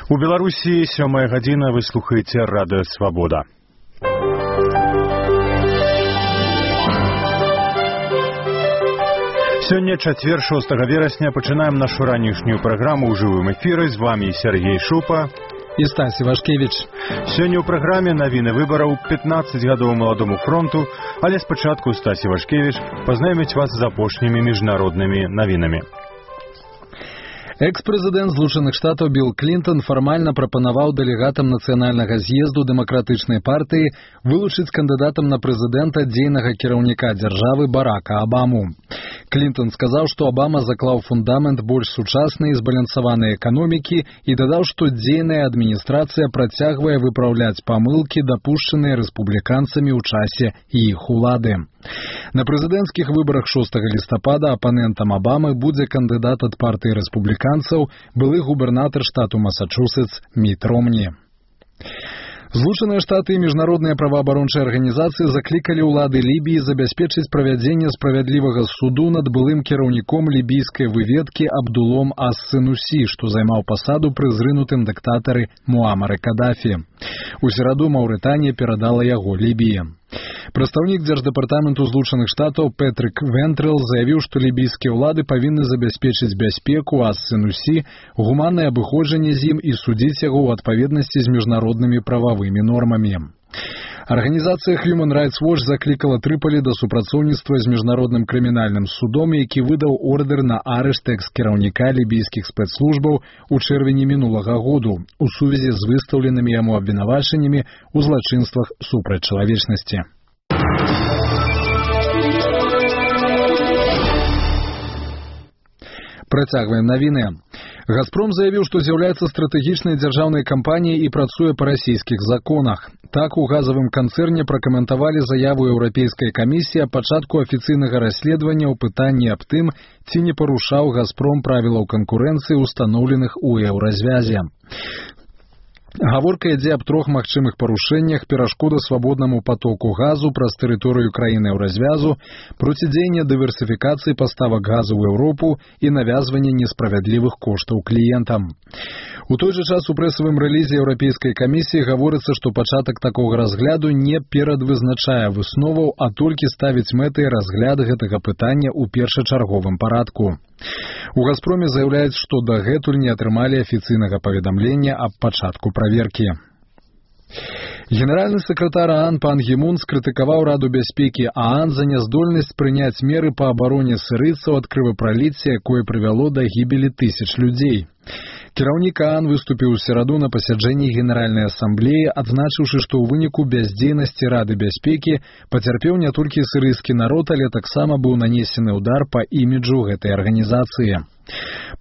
У Беларусі 7 гадзіна, вы слухаеце Радыё Свабода. Сёння чацвер 6 верасня пачынаем нашу ранішнюю праграму ў жывым эфіры. З вами Сергей Шупа і Стась Івашкевіч. Сёння ў праграме навіны выбараў 15 гадоў маладому фронту, але спачатку Стась Івашкевіч пазнаёміць вас з апошнімі міжнароднымі навінамі. Экс-прэзідэнт Злучаных Штатаў Білл Клінтон фармальна прапанаваў дэлегатам нацыянальнага з'езду дэмакратычнай партыі вылучыць кандыдатам на прэзідэнта дзейнага кіраўніка дзяржавы Барака Абаму. Клінтон сказаў, што Абама заклаў фундамент больш сучаснай і збалансаванай эканомікі і дадаў, што дзейная адміністрацыя працягвае выпраўляць памылкі, дапушчаныя рэспубліканцамі ў часе іх улады. На прэзідэнцкіх выбарах 6 лістапада апанентам Абамы будзе кандыдат ад партыі рэспубліканцаў, былы губернатар штату Масачусетс Міт Ромні. Злучаныя Штаты і міжнародныя праваабарончыя арганізацыі заклікалі ўлады Лібіі забяспечыць правядзенне справядлівага суду над былым кіраўніком лібійскай выведкі Абдулом ас-Сенусі, што займаў пасаду пры зрынутым дыктатары Муамары Кадафі. У сераду Маўрытанія перадала яго Лібіі. Прадстаўнік Дзярждэпартаменту Злучаных Штатаў Петрик Вентрэл заявіў, што лібійскія ўлады павінны забяспечыць бяспеку ас-Сенусі, гуманнае абыходжанне з ім і судзіць яго ў адпаведнасці з міжнароднымі прававымі нормамі. Арганізацыя Human Rights Watch заклікала Трыполі да супрацоўніцтва з міжнародным крымінальным судом, які выдаў ордэр на арышт экс-кіраўніка лібійскіх спецслужбаў у чэрвені мінулага году у сувязі з выстаўленымі яму абвінавачаннямі ў злачынствах супраць чалавечнасці. Працягваем навіны. «Газпром» заявіў, што з'яўляецца стратэгічнай дзяржаўнай кампаніяй і працуе па расійскіх законах. Так у газавым канцэрне пракаментавалі заяву Еўрапейскай камісіі аб пачатку афіцыйнага расследавання ў пытанні аб тым, ці не парушаў «Газпром» правілаў канкурэнцыі, устаноўленых у еўразвязе. Гаворка ідзе аб 3 магчымых парушэннях: перашкода свабоднаму патоку газу праз тэрыторыю краіны еўразвязу, процідзеянне дыверсіфікацыі паставак газу ў Еўропу і навязванне несправядлівых коштаў кліентам. У той жа час у прэсавым рэлізе Еўрапейскай камісіі гаворыцца, што пачатак такога разгляду не перадвызначае высноваў, а толькі ставіць мэтай разгляд гэтага пытання ў першачарговым парадку. У «Газпроме» заяўляюць, што дагэтуль не атрымалі афіцыйнага паведамлення аб пачатку праверкі. Генеральны сакратар ААН Пан Гі Мун скрытыкаваў Раду бяспекі ААН за няздольнасць прыняць меры па абароне сірыйцаў ад крывапраліцця, якое прывяло да гібелі тысяч людзей. Кіраўнік ААН выступіў у сераду на пасяджэнні Генеральнай асамблеі, адзначыўшы, што ў выніку бяздзейнасці Рады бяспекі пацярпеў не толькі сірыйскі народ, але таксама быў нанесены ўдар па іміджу гэтай арганізацыі.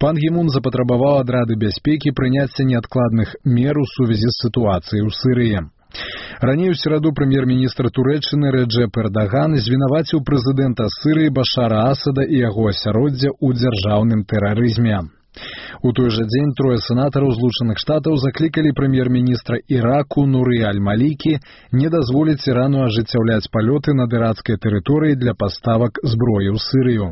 Пан Гі Мун запатрабаваў ад Рады бяспекі прыняцця неадкладных мер у сувязі з сітуацыяй у Сірыі. Раней у сераду прэм'ер-міністр Турэччыны Рэджэп Эрдаган звінаваціў прэзідэнта Сірыі Башара Асада і яго асяроддзя ў дзяржаўным тэрарызме. У той жа дзень 3 сенатараў Злучаных Штатаў заклікалі прэм'ер-міністра Іраку Нуры Аль-Малікі не дазволіць Ірану ажыццяўляць палёты над іракскай тэрыторыі для паставак зброі ў Сірыю.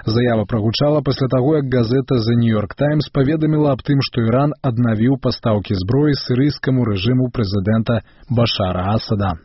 Заява прагучала пасля таго, як газета The New York Times паведаміла аб тым, што Іран аднавіў пастаўкі зброі сірыйскаму рэжыму прэзідэнта Башара Асада.